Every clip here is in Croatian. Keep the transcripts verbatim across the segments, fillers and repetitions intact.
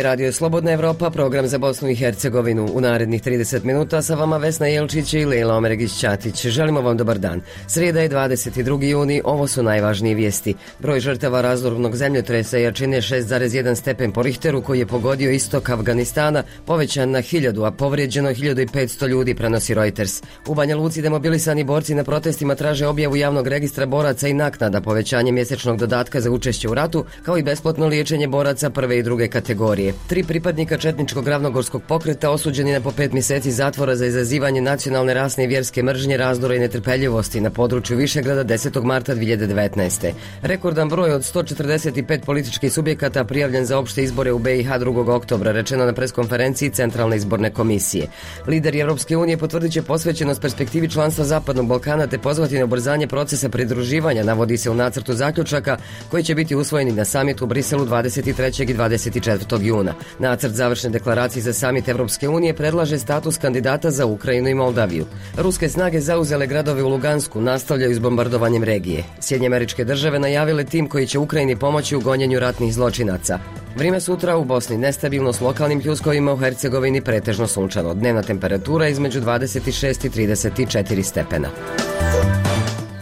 Ovaj radio je Slobodna Evropa, program za Bosnu i Hercegovinu. U narednih trideset minuta sa vama Vesna Jelčić i Lejla Omeregić-Ćatić. Želimo vam dobar dan. Srijeda je dvadeset drugi juni, ovo su najvažnije vijesti. Broj žrtava razornog zemljotresa jačine šest zarez jedan stepen po Richteru koji je pogodio istok Afganistana povećan na hiljadu, a povrijeđeno hiljadu i petsto ljudi, prenosi Reuters. U Banja Luci demobilisani borci na protestima traže objavu javnog registra boraca i naknada, povećanje mjesečnog dodatka za učešće u ratu, kao i besplatno liječenje boraca prve i druge kategorije. Tri pripadnika četničkog ravnogorskog pokreta osuđeni na po pet mjeseci zatvora za izazivanje nacionalne, rasne i vjerske mržnje, razdora i netrpeljivosti na području Višegrada desetog marta dvije hiljade devetnaeste. Rekordan broj od sto četrdeset pet političkih subjekata prijavljen za opšte izbore u B i H drugog oktobra, rečeno na preskonferenciji Centralne izborne komisije. Lideri Europske unije potvrdit će posvećenost perspektivi članstva Zapadnog Balkana te pozvati na ubrzanje procesa pridruživanja, navodi se u nacrtu zaključaka koji će biti usvojeni na samitu u Briselu dvadeset trećeg i dvadeset četvrtog juna. Nacrt završne deklaracije za samit Evropske unije predlaže status kandidata za Ukrajinu i Moldaviju. Ruske snage zauzele gradove u Lugansku, nastavljaju s bombardovanjem regije. Sjedinjene Američke Države najavile tim koji će Ukrajini pomoći u gonjenju ratnih zločinaca. Vrijeme sutra u Bosni nestabilno s lokalnim pljuskovima, u Hercegovini pretežno sunčano. Dnevna temperatura između dvadeset šest i trideset četiri stepena.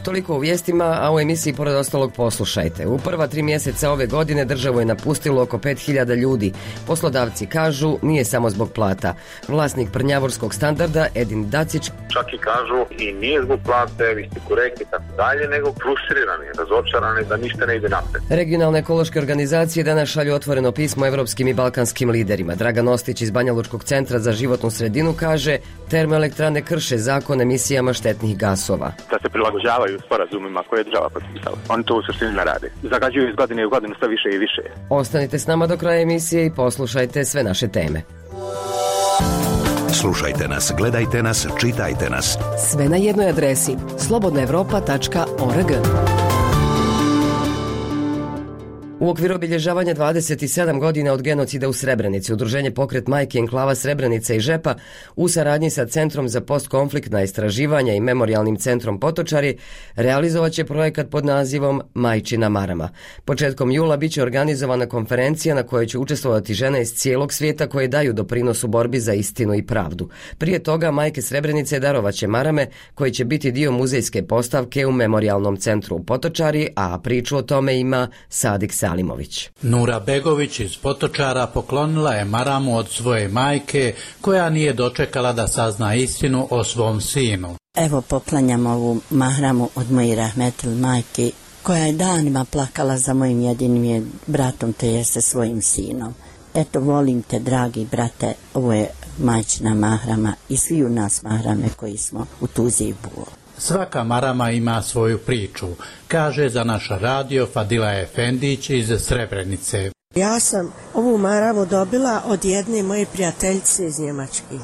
Toliko u vijestima, a u emisiji pored ostalog poslušajte. U prva tri mjeseca ove godine državu je napustilo oko pet hiljada ljudi. Poslodavci kažu nije samo zbog plata. Vlasnik prnjavorskog Standarda Edin Dacić čak i kažu i nije zbog plate, vi ste korektni i tako dalje, nego frustrirani, razočarani da ništa ne ide napred. Regionalne ekološke organizacije danas šalju otvoreno pismo evropskim i balkanskim liderima. Dragan Ostić iz Banjalučkog centra za životnu sredinu kaže termoelektrane krše zakon emisijama štetnih gasova. Da se prilagođavaju sporazumima koje je država potpisala. Oni to u suštini ne rade. Zagađuju iz godine u godinu sve više i više. Ostanite s nama do kraja emisije i poslušajte sve naše teme. Slušajte nas, gledajte nas, čitajte nas. Sve na jednoj adresi slobodna evropa tačka org. U okviru obilježavanja dvadeset sedam godina od genocida u Srebrenici, Udruženje Pokret majke enklava Srebrenica i Žepa u saradnji sa Centrom za postkonfliktna istraživanja i Memorijalnim centrom Potočari realizovat će projekat pod nazivom Majčina marama. Početkom jula biće organizovana konferencija na kojoj će učestvovati žene iz cijelog svijeta koje daju doprinos u borbi za istinu i pravdu. Prije toga majke Srebrenice darovat će marame koji će biti dio muzejske postavke u Memorijalnom centru u Potočari, a priču o tome ima Sadik Salimović. Nura Begović iz Potočara poklonila je maramu od svoje majke koja nije dočekala da sazna istinu o svom sinu. Evo poklanjam ovu mahramu od moje rahmetil majke koja je danima plakala za mojim jedinim bratom, te jeste svojim sinom. Eto, volim te, dragi brate, ovo je majčina mahrama i svi u nas mahrame koji smo u tuzi i bolu. Svaka marama ima svoju priču, kaže za naš radio Fadila Efendić iz Srebrenice. Ja sam ovu maramu dobila od jedne moje prijateljice iz Njemačke.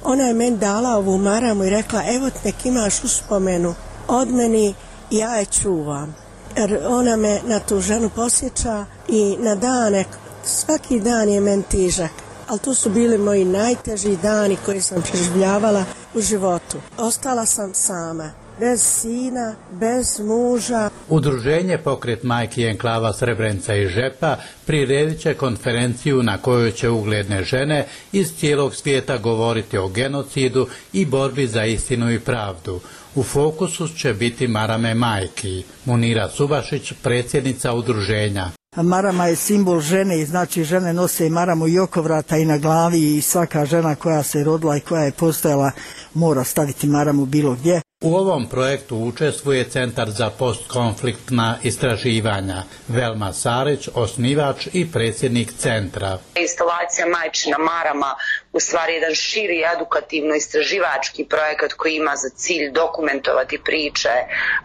Ona je meni dala ovu maramu i rekla, evo nek imaš uspomenu od meni, ja je čuvam. Jer ona me na tu ženu posjeća i na dane, svaki dan je meni težak. Ali to su bili moji najteži dani koje sam preživljavala u životu. Ostala sam sama, bez sina, bez muža. Udruženje Pokret majki enklava Srebrenica i Žepa priredit će konferenciju na kojoj će ugledne žene iz cijelog svijeta govoriti o genocidu i borbi za istinu i pravdu. U fokusu će biti marame majki. Munira Subašić, predsjednica udruženja. Marama je simbol žene i znači žene nose maramu i oko vrata i na glavi i svaka žena koja se rodila i koja je postojala mora staviti maramu bilo gdje. U ovom projektu učestvuje Centar za postkonfliktna istraživanja. Velma Sarić, osnivač i predsjednik centra. Instalacija Majčina marama u stvari jedan širi edukativno-istraživački projekat koji ima za cilj dokumentovati priče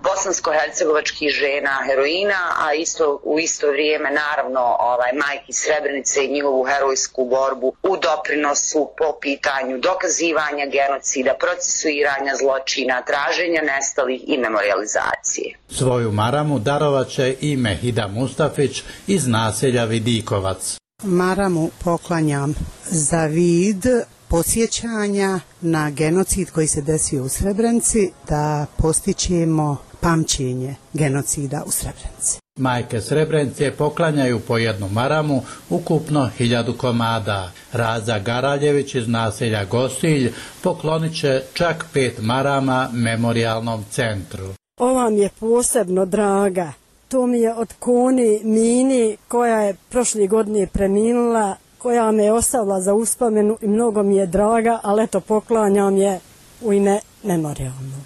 bosansko-hercegovačkih žena heroina, a isto u isto vrijeme naravno ovaj majki Srebrenice i njihovu herojsku borbu u doprinosu po pitanju dokazivanja genocida, procesuiranja zločina, traženja nestalih i memorializacije. Svoju maramu darovat će i Mehida Mustafić iz naselja Vidikovac. Maramu poklanjam za vid podsjećanja na genocid koji se desio u Srebrenici, da postićemo pamćenje genocida u Srebrenici. Majke Srebrenice poklanjaju po jednu maramu, ukupno hiljadu komada. Raza Garaljević iz naselja Gosilj poklonit će čak pet marama memorijalnom centru. Ova mi je posebno draga. To mi je od Koni Mini koja je prošle godine preminula, koja me je ostavila za uspomenu i mnogo mi je draga, ali eto poklanjam je u ime memorijalnog.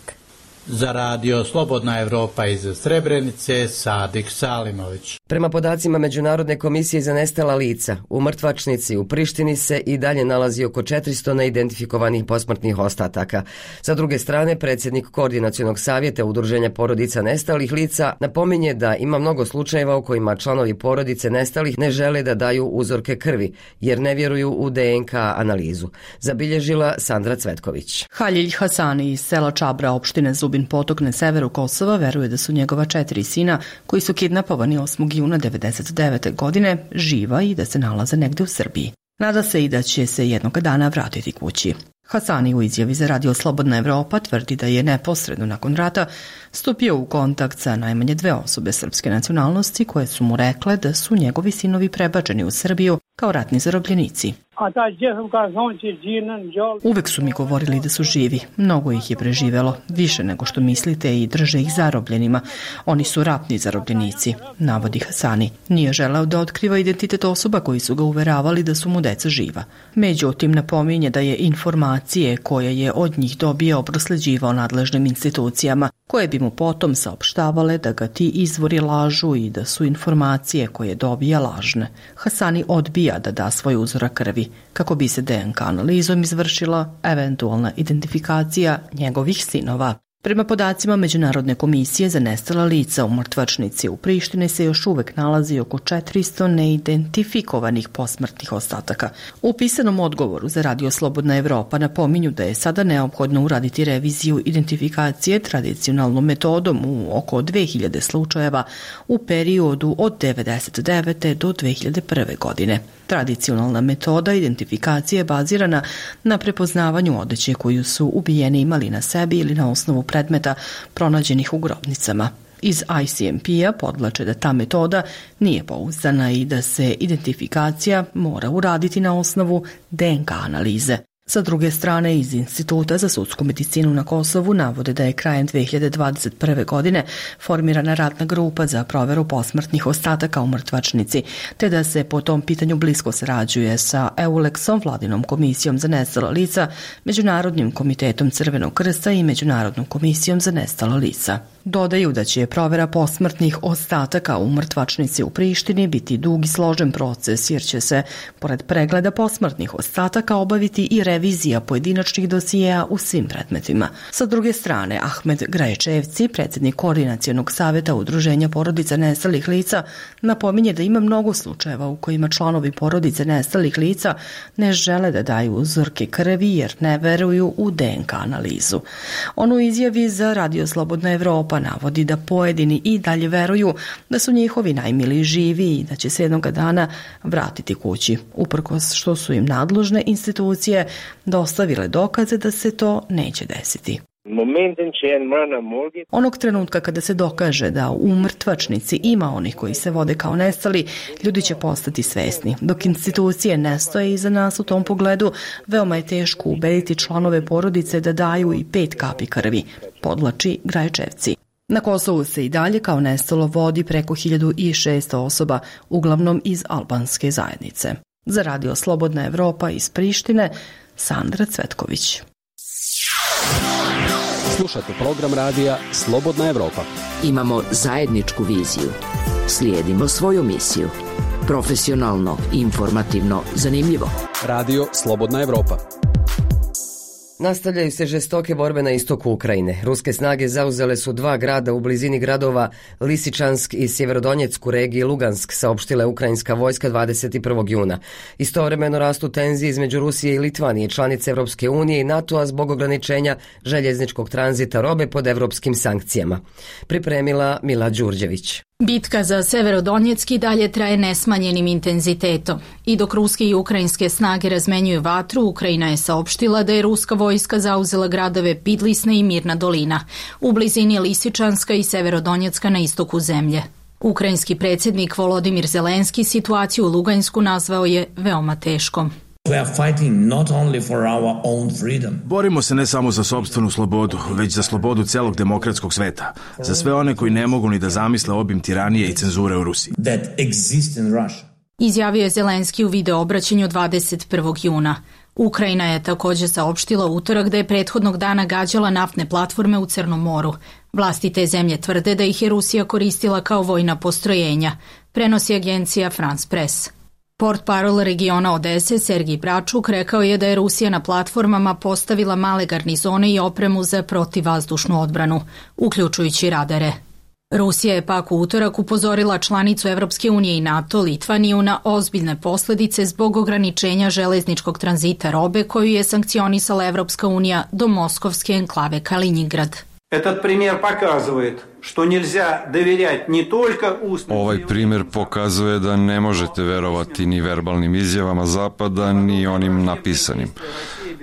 Za radio Slobodna Evropa iz Srebrenice, Sadik Salimović. Prema podacima Međunarodne komisije za nestala lica, u mrtvačnici u Prištini se i dalje nalazi oko četiristo neidentifikovanih posmrtnih ostataka. Sa druge strane, predsjednik Koordinacionog savjeta Udruženja porodica nestalih lica napominje da ima mnogo slučajeva u kojima članovi porodice nestalih ne žele da daju uzorke krvi, jer ne vjeruju u D N K analizu. Zabilježila Sandra Cvetković. Halilj Hasani iz sela Čabra, opštine Zubin Potok na severu Kosova, veruje da su njegova četiri sina, koji su kidnapovani osmog juna devedeset devete. godine, živa i da se nalaze negde u Srbiji. Nada se i da će se jednog dana vratiti kući. Hasani u izjavi za radio Slobodna Evropa tvrdi da je neposredno nakon rata stupio u kontakt sa najmanje dve osobe srpske nacionalnosti koje su mu rekle da su njegovi sinovi prebačeni u Srbiju kao ratni zarobljenici. Uvek su mi govorili da su živi, mnogo ih je preživelo, više nego što mislite i drže ih zarobljenima. Oni su ratni zarobljenici, navodi Hasani. Nije želeo da otkriva identitet osoba koji su ga uveravali da su mu deca živa. Međutim, napominje da je informacije koje je od njih dobio prosleđivao nadležnim institucijama, koje bi mu potom saopštavale da ga ti izvori lažu i da su informacije koje dobija lažne. Hasani odbija da da svoj uzorak krvi, kako bi se D N K analizom izvršila eventualna identifikacija njegovih sinova. Prema podacima Međunarodne komisije za nestala lica u mrtvačnici u Prištini se još uvek nalazi oko četiristo neidentifikovanih posmrtnih ostataka. U pisanom odgovoru za radio Slobodna Evropa napominju da je sada neophodno uraditi reviziju identifikacije tradicionalnom metodom u oko dve hiljade slučajeva u periodu od devedeset devete. do dve hiljade prve. godine. Tradicionalna metoda identifikacije je bazirana na prepoznavanju odeće koju su ubijeni imali na sebi ili na osnovu predmeta pronađenih u grobnicama. Iz I C M P-a podvlače da ta metoda nije pouzdana i da se identifikacija mora uraditi na osnovu D N K analize. Sa druge strane, iz Instituta za sudsku medicinu na Kosovu navode da je krajem dve hiljade dvadeset prve. godine formirana radna grupa za proveru posmrtnih ostataka u mrtvačnici, te da se po tom pitanju blisko sarađuje sa EULEX-om, vladinom komisijom za nestala lica, Međunarodnim komitetom Crvenog krsta i Međunarodnom komisijom za nestala lica. Dodaju da će provera posmrtnih ostataka u mrtvačnici u Prištini biti dug i složen proces, jer će se, pored pregleda posmrtnih ostataka, obaviti i revizija pojedinačnih dosijeja u svim predmetima. Sa druge strane, Ahmed Graječevci, predsjednik Koordinacionog savjeta Udruženja porodica nestalih lica, napominje da ima mnogo slučajeva u kojima članovi porodice nestalih lica ne žele da daju uzorke krvi jer ne veruju u D N K analizu. On u izjavi za radio Slobodna Evropa navodi da pojedini i dalje veruju da su njihovi najmiliji živi i da će se jednog dana vratiti kući, uprkos što su im nadležne institucije dostavile dokaze da se to neće desiti. Onog trenutka kada se dokaže da u mrtvačnici ima onih koji se vode kao nestali, ljudi će postati svesni. Dok institucije ne stoje iza nas u tom pogledu, veoma je teško ubediti članove porodice da daju i pet kapi krvi, podvlači Graječevci. Na Kosovu se i dalje kao nestalo vodi preko hiljadu šesto osoba, uglavnom iz albanske zajednice. Za radio Slobodna Evropa iz Prištine, Sandra Cvetković. Slušate program radija Slobodna Evropa. Imamo zajedničku viziju. Slijedimo svoju misiju. Profesionalno, informativno, zanimljivo. Radio Slobodna Evropa. Nastavljaju se žestoke borbe na istoku Ukrajine. Ruske snage zauzele su dva grada u blizini gradova Lisičansk i Sjeverodonjeck u regiji Lugansk, saopštila je ukrajinska vojska dvadeset prvog juna. Istovremeno rastu tenzije između Rusije i Litvanije, članice Evropske unije i NATO-a zbog ograničenja željezničkog tranzita robe pod evropskim sankcijama. Pripremila Mila Đurđević. Bitka za Severodonjecki dalje traje nesmanjenim intenzitetom. I dok ruske i ukrajinske snage razmenjuju vatru, Ukrajina je saopštila da je ruska vojska zauzela gradove Pidlisna i Mirna dolina, u blizini Lisičanska i Severodonjecka na istoku zemlje. Ukrajinski predsjednik Volodimir Zelenski situaciju u Lugansku nazvao je veoma teškom. Borimo se ne samo za sopstvenu slobodu, već za slobodu celog demokratskog sveta, za sve one koji ne mogu ni da zamisle obim tiranije i cenzure u Rusiji. Izjavio je Zelenski u video obraćanju dvadeset prvog juna. Ukrajina je također saopštila utorak da je prethodnog dana gađala naftne platforme u Crnom moru. Vlasti te zemlje tvrde da ih je Rusija koristila kao vojna postrojenja, prenosi agencija France Press. Portparol regiona Odese Sergij Bračuk rekao je da je Rusija na platformama postavila male garnizone i opremu za protivvazdušnu odbranu, uključujući radare. Rusija je pak u utorak upozorila članicu Evropske unije i NATO Litvaniju na ozbiljne posljedice zbog ograničenja železničkog tranzita robe koju je sankcionisala Evropska unija do moskovske enklave Kaliningrad. Этот пример показывает, что нельзя доверять не только устным... Ovaj primjer pokazuje da ne možete verovati ni verbalnim izjavama Zapada, ni onim napisanim.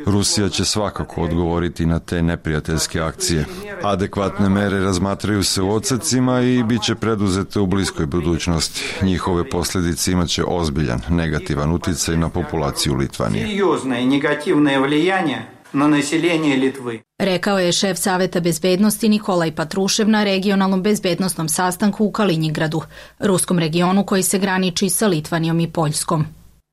Rusija će svakako odgovoriti na te neprijateljske akcije. Adekvatne mere razmatraju se u odsecima i bit će preduzete u bliskoj budućnosti. Njihove posljedice imaće ozbiljan negativan utjecaj na populaciju Litvanije. Серьезное негативное влияние na naseljenje Litve. Rekao je šef Saveta bezbednosti Nikolaj Patrušev na regionalnom bezbednostnom sastanku u Kaliningradu, ruskom regionu koji se graniči sa Litvanijom i Poljskom.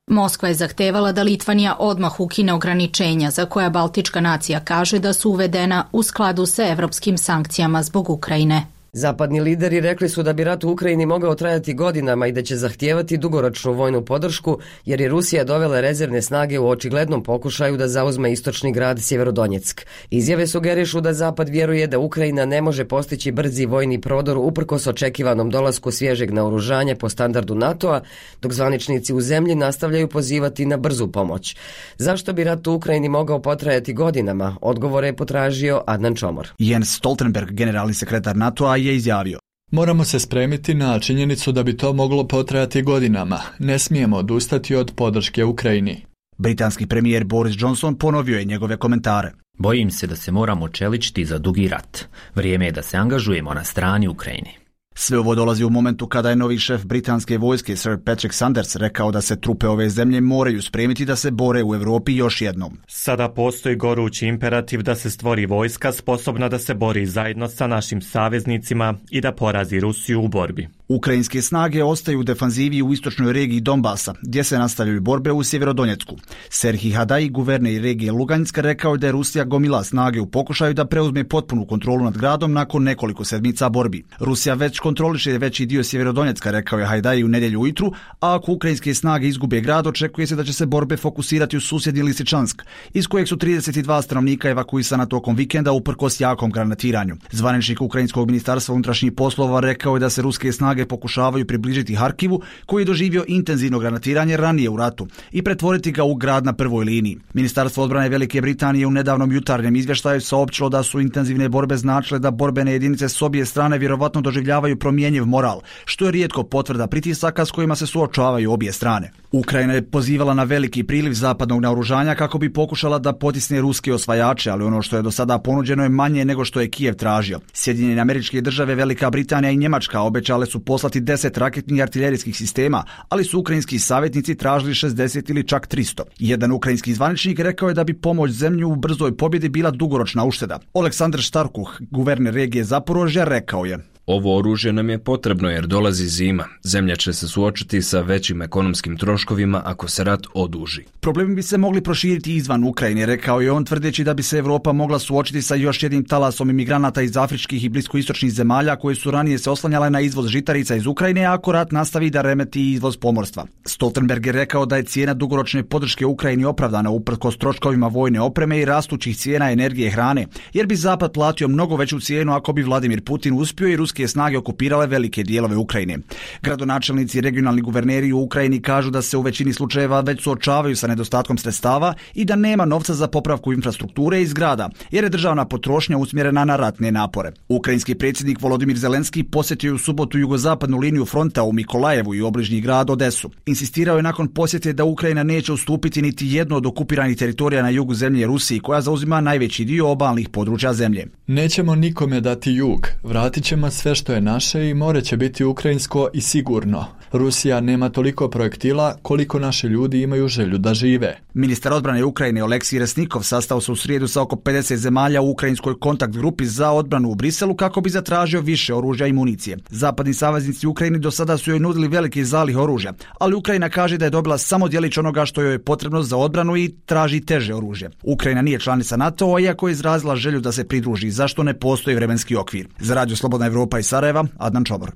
Moskva je zahtevala da Litvanija odmah ukine ograničenja za koja Baltička nacija kaže da su uvedena u skladu sa evropskim sankcijama zbog Ukrajine. Zapadni lideri rekli su da bi rat u Ukrajini mogao trajati godinama i da će zahtijevati dugoročnu vojnu podršku jer je Rusija dovela rezervne snage u očiglednom pokušaju da zauzme istočni grad Sjeverodonjeck. Izjave sugerišu da Zapad vjeruje da Ukrajina ne može postići brzi vojni prodor uprkos očekivanom dolasku svježeg naoružanja po standardu NATO-a, dok zvaničnici u zemlji nastavljaju pozivati na brzu pomoć. Zašto bi rat u Ukrajini mogao potrajati godinama? Odgovore je potražio Adnan Čomor. Jens Stoltenberg, generalni sekretar NATO-a, je izjavio: Moramo se spremiti na činjenicu da bi to moglo potrajati godinama. Ne smijemo odustati od podrške Ukrajini. Britanski premijer Boris Johnson ponovio je njegove komentare. Bojim se da se moramo čeličiti za dugi rat. Vrijeme je da se angažujemo na strani Ukrajini. Sve ovo dolazi u momentu kada je novi šef britanske vojske Sir Patrick Sanders rekao da se trupe ove zemlje moraju spremiti da se bore u Europi još jednom. Sada postoji gorući imperativ da se stvori vojska sposobna da se bori zajedno sa našim saveznicima i da porazi Rusiju u borbi. Ukrajinske snage ostaju u defanzivi u istočnoj regiji Donbasa, gdje se nastavljaju borbe u Sjeverodonjecku. Serhij Hadaj, guverner regije Luganska, rekao je da je Rusija gomila snage u pokušaju da preuzme potpunu kontrolu nad gradom nakon nekoliko sedmica borbi. Rusija već kontroliše veći dio Sjeverodonjecka, rekao je Hajdaj u nedjelju ujutru, a ako ukrajinske snage izgube grad, očekuje se da će se borbe fokusirati u susjedni Lisičansk, iz kojeg su trideset dva stanovnika evakuisana tokom vikenda uprkos jakom granatiranju. Zvaničnik ukrajinskog ministarstva unutrašnjih poslova rekao je da se ruske snage pokušavaju približiti Harkivu, koji je doživio intenzivno granatiranje ranije u ratu, i pretvoriti ga u grad na prvoj liniji. Ministarstvo odbrane Velike Britanije u nedavnom jutarnjem izvještaju saopćilo da su intenzivne borbe značile da borbene jedinice s obje strane vjerovatno doživljavaju promjenjiv moral, što je rijetko potvrda pritisaka s kojima se suočavaju obje strane. Ukrajina je pozivala na veliki priliv zapadnog naoružanja kako bi pokušala da potisne ruske osvajače, ali ono što je do sada ponuđeno je manje nego što je Kijev tražio. Sjedinjene Američke Države, Velika Britanija i Njemačka obećale su poslati deset raketnih artiljerijskih sistema, ali su ukrajinski savjetnici tražili šezdeset ili čak tristo. Jedan ukrajinski zvaničnik rekao je da bi pomoć zemlju u brzoj pobjedi bila dugoročna ušteda. Oleksandr Štarkuh, guverner regije Zaporožja, rekao je: Ovo oružje nam je potrebno jer dolazi zima. Zemlja će se suočiti sa većim ekonomskim troškovima ako se rat oduži. Problemi bi se mogli proširiti izvan Ukrajine, rekao je on, tvrdeći da bi se Europa mogla suočiti sa još jednim talasom imigranata iz afričkih i bliskoistočnih zemalja koje su ranije se oslanjale na izvoz žitarica iz Ukrajine, ako rat nastavi da remeti izvoz pomorstva. Stoltenberg je rekao da je cijena dugoročne podrške Ukrajini opravdana uprkos troškovima vojne opreme i rastućih cijena energije i hrane, jer bi Zapad platio mnogo veću cijenu ako bi Vladimir Putin uspio i ruske snage okupirale velike dijelove Ukrajine. Gradonačelnici i regionalni guverneri u Ukrajini kažu da se u većini slučajeva već suočavaju sa nedostatkom sredstava i da nema novca za popravku infrastrukture i zgrada, jer je državna potrošnja usmjerena na ratne napore. Ukrajinski predsjednik Volodimir Zelenski posjetio je u subotu jugozapadnu liniju fronta u Mikolajevu i obližnji grad Odesu. Insistirao je nakon posjete da Ukrajina neće ustupiti niti jedno od okupiranih teritorija na jugu zemlje Rusiji, koja zauzima najveći dio obalnih područja zemlje. Nećemo nikome dati jug, vratit ćemo sve sve što je naše i more će biti ukrajinsko i sigurno. Rusija nema toliko projektila koliko naši ljudi imaju želju da žive. Ministar odbrane Ukrajine Oleksij Resnikov sastao se u srijedu sa oko pedeset zemalja u ukrajinskoj kontakt grupi za odbranu u Briselu kako bi zatražio više oružja i municije. Zapadni saveznici Ukrajini do sada su joj nudili veliki zalih oružja, ali Ukrajina kaže da je dobila samo djelić onoga što joj je potrebno za odbranu i traži teže oružje. Ukrajina nije članica NATO-a, iako je izrazila želju da se pridruži, zašto ne postoji vremenski okvir. Za Radio Slobodna Evropa iz Sarajeva, Adnan Čobor.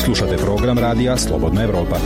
Slušate program radija Slobodna Evropa.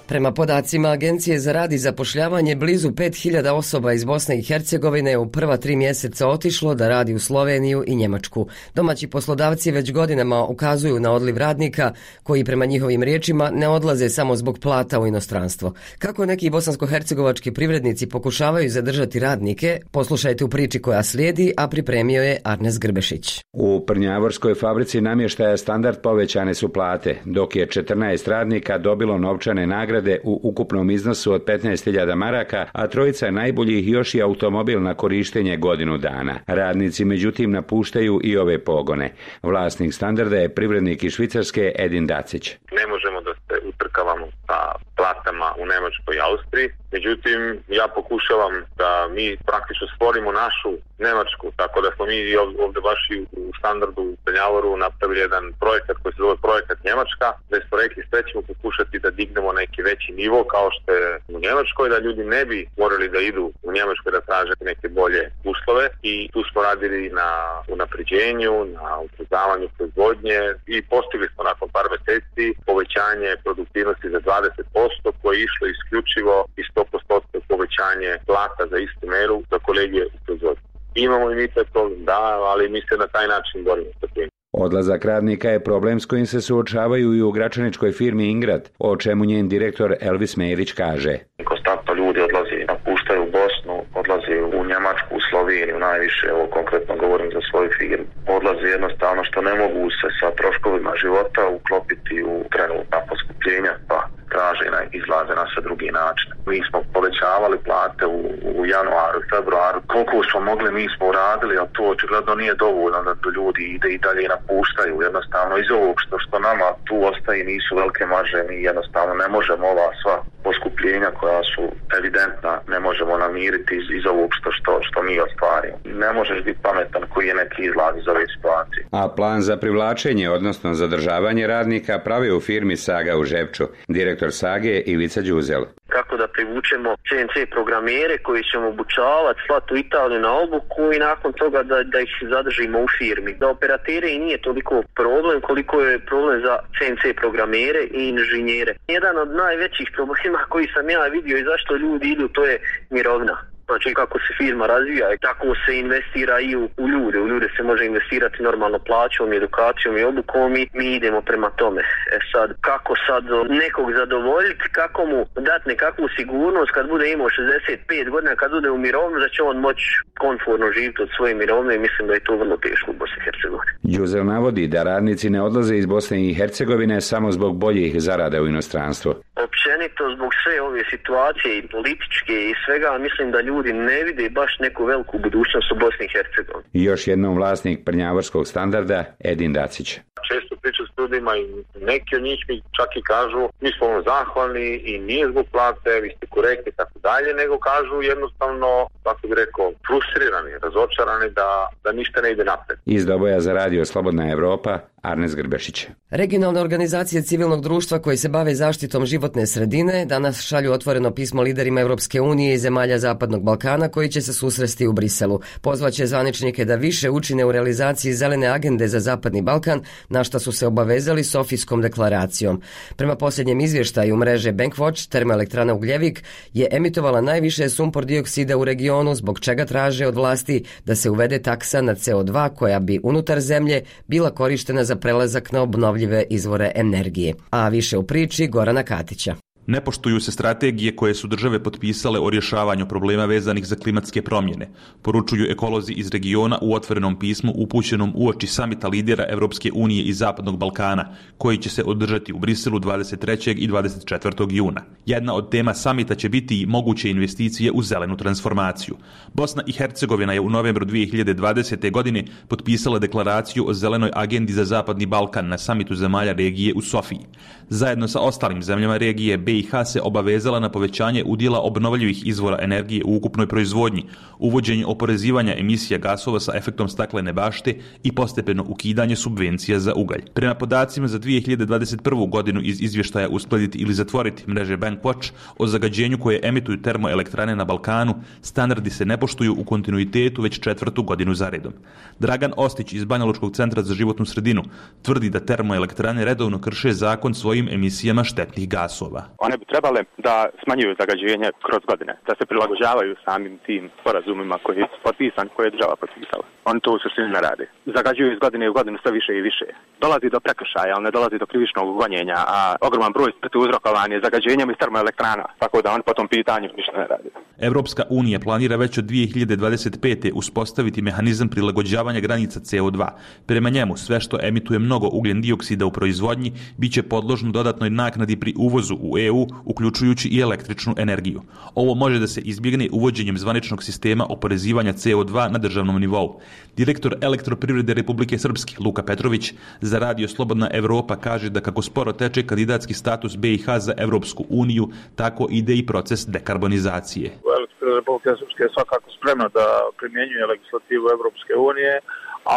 Prema podacima Agencije za rad i zapošljavanje, blizu pet hiljada osoba iz Bosne i Hercegovine u prva tri mjeseca otišlo da radi u Sloveniju i Njemačku. Domaći poslodavci već godinama ukazuju na odliv radnika koji prema njihovim riječima ne odlaze samo zbog plata u inostranstvo. Kako neki bosansko-hercegovački privrednici pokušavaju zadržati radnike, poslušajte u priči koja slijedi, a pripremio je Arnes Grbešić. U Prnjavorskoj fabrici namještaja Standard povećane su plate, dok je četrnaest radnika dobilo novčane nagrade u ukupnom iznosu od petnaest hiljada maraka, a trojica najboljih još i automobil na korištenje godinu dana. Radnici međutim napuštaju i ove pogone. Vlasnik Standarda je privrednik iz Švicarske Edin Dacić. Ne možemo da se utrkavamo sa platama u Njemačkoj i Austriji, međutim ja pokušavam da mi praktično stvorimo našu Njemačku, tako da smo mi ovdje baš i u Standardu u Prnjavoru napravili jedan projekat koji se zove projekat Njemačka, gdje smo rekli sve ćemo pokušati da dignemo neki veći nivo kao što je u Njemačkoj, da ljudi ne bi morali da idu u Njemačkoj da traže neke bolje uslove, i tu smo radili na unapređenju, na ubrzavanju proizvodnje i postigli smo nakon par mjeseci povećanje produktivnosti za dvadeset posto koje je išlo isključivo i sto posto povećanje plata za istu meru za kolege u proizvodnji. Imamo i mi taj problem, da, ali mi se na taj način borimo sa tim. Odlazak radnika je problem s kojim se suočavaju i u gračaničkoj firmi Ingrad, o čemu njen direktor Elvis Merić kaže. Konstantno ljudi odlazi, napuštaju Bosnu, odlazi u Njemačku, u Sloveniju najviše, ovo konkretno govorim za svoju firmu. Odlazi jednostavno što ne mogu se sa troškovima života uklopiti u trenutna poskupljenja, pa traže na izlaze na sve drugi način. Mi smo povećavali plate u, u januaru i februaru. Koliko smo mogli, mi smo uradili, ali to očigledno nije dovoljno da ljudi ide i dalje napuštaju. Jednostavno iz ovog što, što nama tu ostaje nisu velike marže, mi jednostavno ne možemo ova sva poskupljenja koja su evidentna, ne možemo namiriti iz, iz ovog što, što, što mi ostvarimo. Ne možeš biti pametan koji je neki izlaz iz ove situacije. A plan za privlačenje, odnosno zadržavanje radnika, pravi u firmi Saga u Žepču. Direktor Sage Ivica Đuzel. Kako da privučemo C N C programere koji ćemo obučavati, slati u Italiju na obuku i nakon toga da, da ih zadržimo u firmi. Da operatere i nije toliko problem koliko je problem za C N C programere i inženjere. Jedan od najvećih problema koji sam ja vidio i zašto ljudi idu, to je mirovina. Znači kako se firma razvija i tako se investira i u, u ljude. U ljude se može investirati normalno plaćom, edukacijom i obukom i mi idemo prema tome. E sad, kako sad nekog zadovoljiti, kako mu dati nekakvu sigurnost kad bude imao šezdeset pet godina, kad bude u mirovinu, da će on moći komfortno živjeti od svoje mirovine i mislim da je to vrlo teško u Bosni i Hercegovini. Đuzel navodi da radnici ne odlaze iz Bosne i Hercegovine samo zbog boljih zarada u inostranstvu. Općenito zbog sve ove situacije i političke i svega, mislim da ljudi ne vide baš neku veliku budućnost u Bosni i Hercegovini. Još jednom vlasnik Prnjavorskog Standarda Edin Dacić. Često pričam s ljudima i neki od njih mi čak i kažu mi smo vam zahvalni i nije zbog plate, vi ste korektni i tako dalje, nego kažu jednostavno, kako bi rekao, frustrirani, razočarani da, da ništa ne ide napred. Iz Doboja za radio Slobodna Evropa, Arnes Grbešić. Regionalne organizacije civilnog društva koji se bave zaštitom životne sredine danas šalju otvoreno pismo liderima Europske unije i zemalja Zapadnog Balkana koji će se susresti u Briselu. Pozvaće zvaničnike da više učine u realizaciji zelene agende za Zapadni Balkan, na što su se obavezali Sofijskom deklaracijom. Prema posljednjem izvještaju mreže Bankwatch, termoelektrana Ugljevik je emitovala najviše sumpor dioksida u regionu, zbog čega traže od vlasti da se uvede taksa na C O dva koja bi unutar zemlje bila korištena za prelazak na obnovljive izvore energije. A više u priči Gorana Katića. Ne poštuju se strategije koje su države potpisale o rješavanju problema vezanih za klimatske promjene, poručuju ekolozi iz regiona u otvorenom pismu upućenom uoči samita lidera Europske unije i Zapadnog Balkana, koji će se održati u Briselu dvadeset trećeg i dvadeset četvrtog juna. Jedna od tema samita će biti i moguće investicije u zelenu transformaciju. Bosna i Hercegovina je u novembru dvije hiljade dvadesete. godine potpisala deklaraciju o zelenoj agendi za Zapadni Balkan na samitu zemalja regije u Sofiji. Zajedno sa ostalim zemljama regije, B i H se obavezala na povećanje udjela obnovljivih izvora energije u ukupnoj proizvodnji, uvođenje oporezivanja emisija gasova sa efektom staklene bašte i postepeno ukidanje subvencija za ugalj. Prema podacima za dvije hiljade dvadeset prvu. godinu iz izvještaja uskladiti ili zatvoriti mreže Bankwatch o zagađenju koje emituju termoelektrane na Balkanu, standardi se ne poštuju u kontinuitetu već četvrtu godinu za redom. Dragan Ostić iz Banjalučkog centra za životnu sredinu tvrdi da termoelektrane redovno krše zakon svojim emisijama štetnih gasova. One bi trebale da smanjuju zagađenje kroz godine, da se prilagođavaju samim tim sporazumima koji su potpisani, koje je država potpisala. Oni to u suštini ne rade. Zagađuju iz godine u godinu sve više i više. Dolazi do prekršaja, ali ne dolazi do krivičnog gonjenja, a ogroman broj smrti uzrokovan je zagađenjem iz termoelektrana, tako da oni po tom pitanju ništa ne rade. Evropska unija planira već od dvije hiljade dvadeset pete. uspostaviti mehanizam prilagođavanja granica C O dva. Prema njemu, sve što emituje mnogo ugljen dioksida u proizvodnji biće podložno dodatnoj naknadi pri uvozu u E U, uključujući i električnu energiju. Ovo može da se izbjegne uvođenjem zvaničnog sistema oporezivanja C O dva na državnom nivou. Direktor Elektroprivrede Republike Srpske, Luka Petrović, za radio Slobodna Evropa kaže da kako sporo teče kandidatski status B i H za Evropsku uniju, tako ide i proces dekarbonizacije. Elektroprivreda Republike Srpske je svakako spremna da primjenjuje legislativu Evropske unije,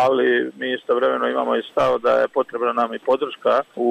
ali mi istovremeno imamo i stav da je potrebna nam i podrška u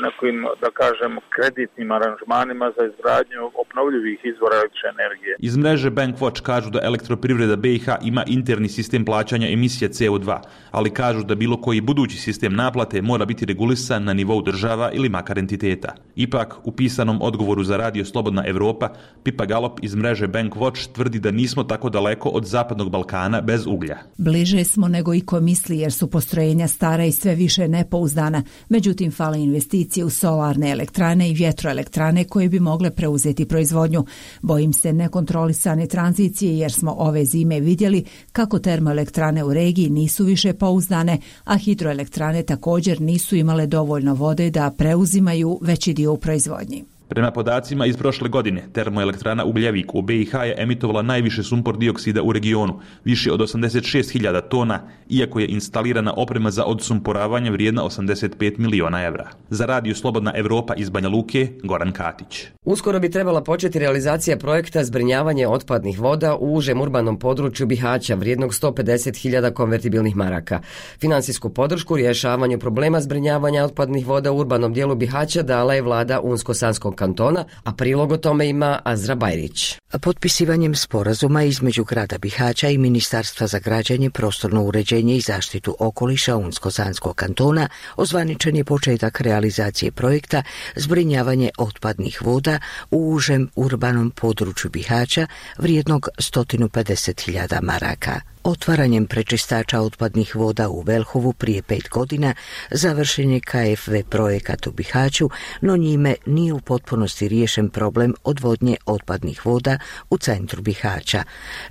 nekim, da kažem, kreditnim aranžmanima za izgradnju obnovljivih izvora električne energije. Iz mreže Bankwatch kažu da Elektroprivreda B i H ima interni sistem plaćanja emisije C O dva, ali kažu da bilo koji budući sistem naplate mora biti regulisan na nivou država ili makar entiteta. Ipak, u pisanom odgovoru za radio Slobodna Evropa, Pipa Galop iz mreže Bankwatch tvrdi da nismo tako daleko od Zapadnog Balkana bez uglja. Bliže smo nego i ko misli, jer su postrojenja stara i sve više nepouzdana. Međutim, fale investicije u solarne elektrane i vjetroelektrane koje bi mogle preuzeti proizvodnju. Bojim se nekontrolisane tranzicije, jer smo ove zime vidjeli kako termoelektrane u regiji nisu više pouzdane, a hidroelektrane također nisu imale dovoljno vode da preuzimaju veći dio u proizvodnji. Prema podacima iz prošle godine, termoelektrana Ugljevik u B i H je emitovala najviše sumpor dioksida u regionu, više od osamdeset šest hiljada tona, iako je instalirana oprema za odsumporavanje vrijedna osamdeset pet miliona evra. Za radio Slobodna Evropa iz Banja Luke, Goran Katić. Uskoro bi trebala početi realizacija projekta zbrinjavanje otpadnih voda u užem urbanom području Bihaća vrijednog sto pedeset hiljada konvertibilnih maraka. Finansijsku podršku rješavanju problema zbrinjavanja otpadnih voda u urbanom dijelu Bihaća dala je vlada Unsko-Sanskog kantona, a prilog o tome ima Azra Bajrić. Potpisivanjem sporazuma između grada Bihaća i Ministarstva za građenje, prostorno uređenje i zaštitu okoliša Unsko-Sanskog kantona ozvaničen je početak realizacije projekta zbrinjavanje otpadnih voda u užem urbanom području Bihaća vrijednog sto pedeset hiljada maraka. Otvaranjem prečistača otpadnih voda u Velhovu prije pet godina završen je K F V projekat u Bihaću, no njime nije u potpunosti riješen problem odvodnje otpadnih voda u centru Bihaća.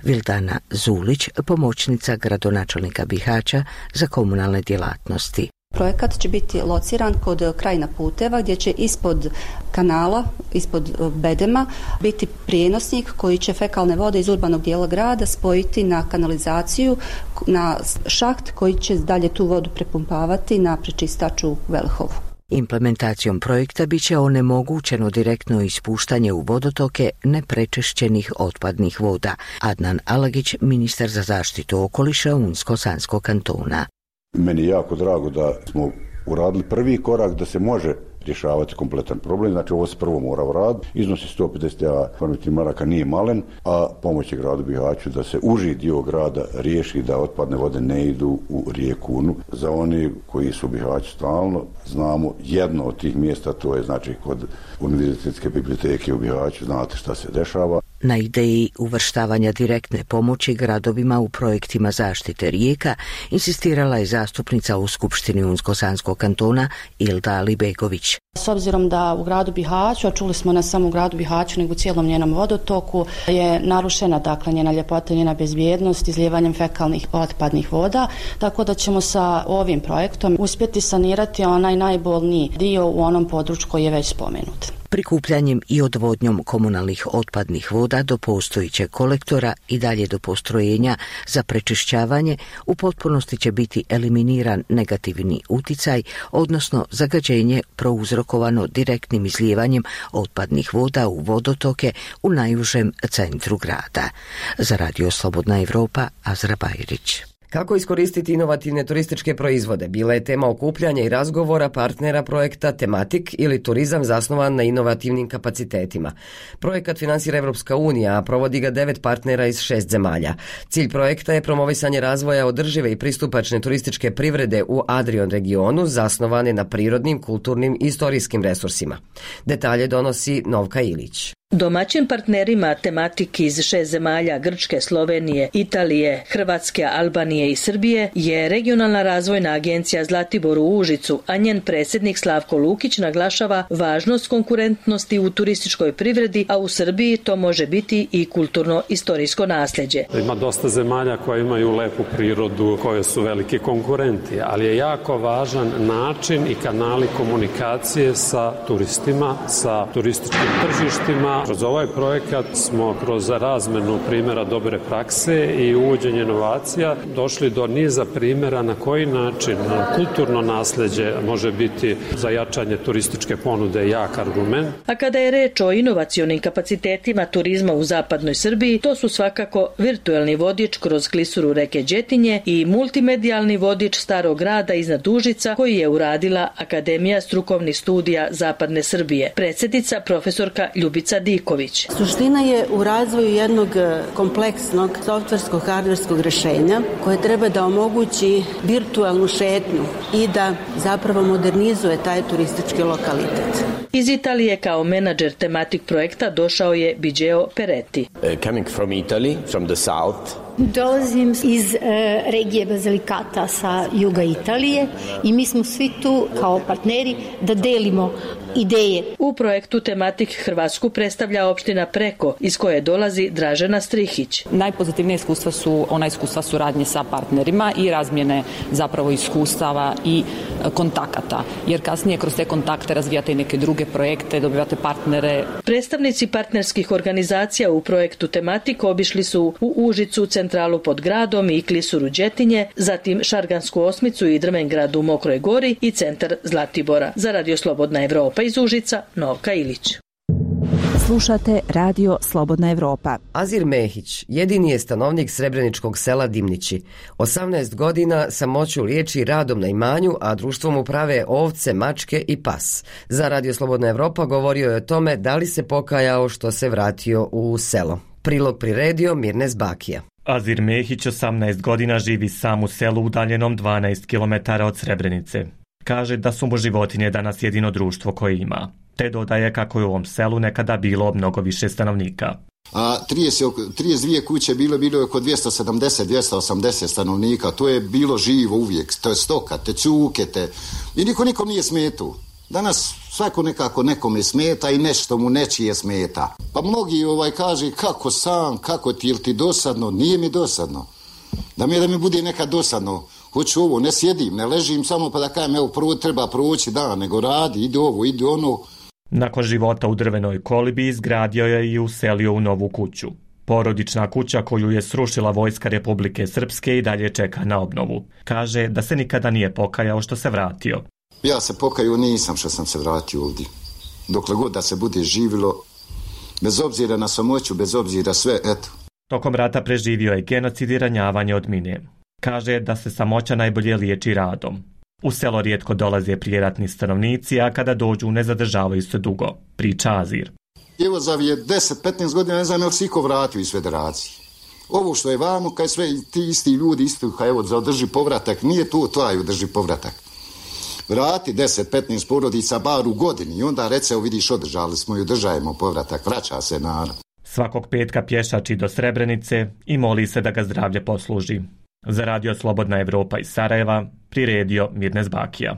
Vildana Zulić, pomoćnica gradonačelnika Bihaća za komunalne djelatnosti. Projekat će biti lociran kod krajina puteva gdje će ispod kanala, ispod bedema biti prijenosnik koji će fekalne vode iz urbanog dijela grada spojiti na kanalizaciju, na šaht koji će dalje tu vodu prepumpavati na prečistač u Velhovu. Implementacijom projekta bit će onemogućeno direktno ispuštanje u vodotoke neprečešćenih otpadnih voda. Adnan Alagić, ministar za zaštitu okoliša Unsko-Sanskog kantona. Meni je jako drago da smo uradili prvi korak da se može rješavati kompletan problem, znači ovo se prvo mora uraditi. Iznosi sto pedeset konvertibilnih maraka nije malen, a pomoć je gradu Bihaću da se uži dio grada riješi da otpadne vode ne idu u rijeku Unu. Za oni koji su u Bihaću stalno, znamo jedno od tih mjesta, to je znači kod Univerzitetske biblioteke u Bihaću, znate šta se dešava. Na ideji uvrštavanja direktne pomoći gradovima u projektima zaštite rijeka insistirala je zastupnica u Skupštini Unsko-Sanskog kantona Ilda Alibegović. S obzirom da u gradu Bihaću, a čuli smo ne samo u gradu Bihaću nego u cijelom njenom vodotoku, je narušena dakle njena ljepota, njena bezbjednost izlijevanjem fekalnih otpadnih voda, tako da ćemo sa ovim projektom uspjeti sanirati onaj najbolniji dio u onom području koji je već spomenut. Prikupljanjem i odvodnjom komunalnih otpadnih voda do postojićeg kolektora i dalje do postrojenja za prečišćavanje u potpunosti će biti eliminiran negativni uticaj, odnosno zagađenje prouzrokovano direktnim izlijevanjem otpadnih voda u vodotoke u najužem centru grada. Za Radio Slobodna Evropa, Azra Bajrić. Kako iskoristiti inovativne turističke proizvode bila je tema okupljanja i razgovora partnera projekta Tematik ili turizam zasnovan na inovativnim kapacitetima. Projekat finansira Evropska unija, a provodi ga devet partnera iz šest zemalja. Cilj projekta je promovisanje razvoja održive i pristupačne turističke privrede u Adrion regionu zasnovane na prirodnim, kulturnim i istorijskim resursima. Detalje donosi Novka Ilić. Domaćim partnerima Tematik iz šest zemalja Grčke, Slovenije, Italije, Hrvatske, Albanije i Srbije je regionalna razvojna agencija Zlatibor u Užicu, a njen predsjednik Slavko Lukić naglašava važnost konkurentnosti u turističkoj privredi, a u Srbiji to može biti i kulturno-istorijsko nasljeđe. Ima dosta zemalja koje imaju lepu prirodu, koje su veliki konkurenti, ali je jako važan način i kanali komunikacije sa turistima, sa turističkim tržištima. Kroz ovaj projekat smo kroz razmenu primjera dobre prakse i uvođenje inovacija došli do niza primjera na koji način kulturno nasljeđe može biti za jačanje turističke ponude jak argument. A kada je reč o inovacionim kapacitetima turizma u zapadnoj Srbiji, to su svakako virtuelni vodič kroz klisuru reke Đetinje i multimedijalni vodič Starog grada iznad Užica koji je uradila Akademija strukovnih studija Zapadne Srbije. Predsjednica profesorka Ljubica Diković. Suština je u razvoju jednog kompleksnog softverskog hardverskog rješenja koje treba da omogući virtualnu šetnju i da zapravo modernizuje taj turistički lokalitet. Iz Italije kao menadžer Tematik projekta došao je Biggio Peretti. Uh, coming from Italy, from the south. Dolazim iz e, regije Basilicata sa juga Italije i mi smo svi tu kao partneri da delimo ideje. U projektu Tematik Hrvatsku predstavlja opština Preko iz koje dolazi Dražena Strihić. Najpozitivnije iskustva su ona iskustva suradnje sa partnerima i razmjene zapravo iskustava i kontakata, jer kasnije kroz te kontakte razvijate i neke druge projekte, dobivate partnere. Predstavnici partnerskih organizacija u projektu Tematik obišli su u Užicu, centralu pod gradom i klisuru Đetinje, zatim Šargansku osmicu i Drvengrad u Mokroj Gori i centar Zlatibora. Za Radio Slobodna Evropa iz Užica, Novka Ilić. Slušate Radio Slobodna Evropa. Azir Mehić jedini je stanovnik srebreničkog sela Dimnići. osamnaest godina samoću liječi radom na imanju, a društvom uprave ovce, mačke i pas. Za Radio Slobodna Evropa govorio je o tome da li se pokajao što se vratio u selo. Prilog priredio Mirnes Bakija. Azir Mehić osamnaest godina živi sam u selu udaljenom dvanaest kilometara od Srebrenice. Kaže da su mu životinje danas jedino društvo koje ima. Te dodaje kako je u ovom selu nekada bilo mnogo više stanovnika. A trideset, trideset dvije kuće bilo, bilo je oko dvjesto sedamdeset do dvjesto osamdeset stanovnika. To je bilo živo uvijek. To je stoka, te cuke, te... I niko nikom nije smetao. Danas svako nekako nekome smeta i nešto mu nečije smeta. Pa mnogi ovaj kaže kako sam, kako ti, ili ti dosadno? Nije mi dosadno. Da mi je da mi bude nekad dosadno. Hoću ovo, ne sjedim, ne ležim samo pa da kajem, evo prvo treba proći dan, nego radi, ide ovo, ide ono. Nakon života u drvenoj kolibi izgradio je i uselio u novu kuću. Porodična kuća koju je srušila vojska Republike Srpske i dalje čeka na obnovu. Kaže da se nikada nije pokajao što se vratio. Ja se pokajao nisam što sam se vratio ovdje. Dokle god da se bude živilo, bez obzira na samoću, bez obzira sve, eto. Tokom rata preživio je genocid i ranjavanje od mine. Kaže da se samoća najbolje liječi radom. U selo rijetko dolaze prijeratni stanovnici, a kada dođu ne zadržavaju se dugo, priča Azir. Evo za je deset do petnaest godina, ne znam je li se iko vratio iz federacije. Ovo što je vamo, kaj sve ti isti ljudi, isto kaj evo za održi povratak, nije to taj održi povratak. Vrati deset do petnaest porodica bar u godini i onda rece, vidiš, održali smo i održajemo povratak, vraća se narod. Svakog petka pješači do Srebrenice i moli se da ga zdravlje posluži. Za radio Slobodna Evropa iz Sarajeva priredio Mirnes Bakija.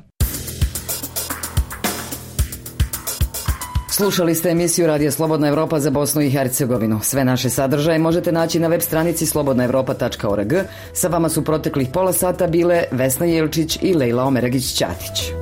Slušali ste emisiju Radija Slobodna Evropa za Bosnu i Hercegovinu. Sve naše sadržaje možete naći na web stranici slobodna evropa tačka org. Sa vama su proteklih pola sata bile Vesna Jelčić i Lejla Omeragić-Ćatić.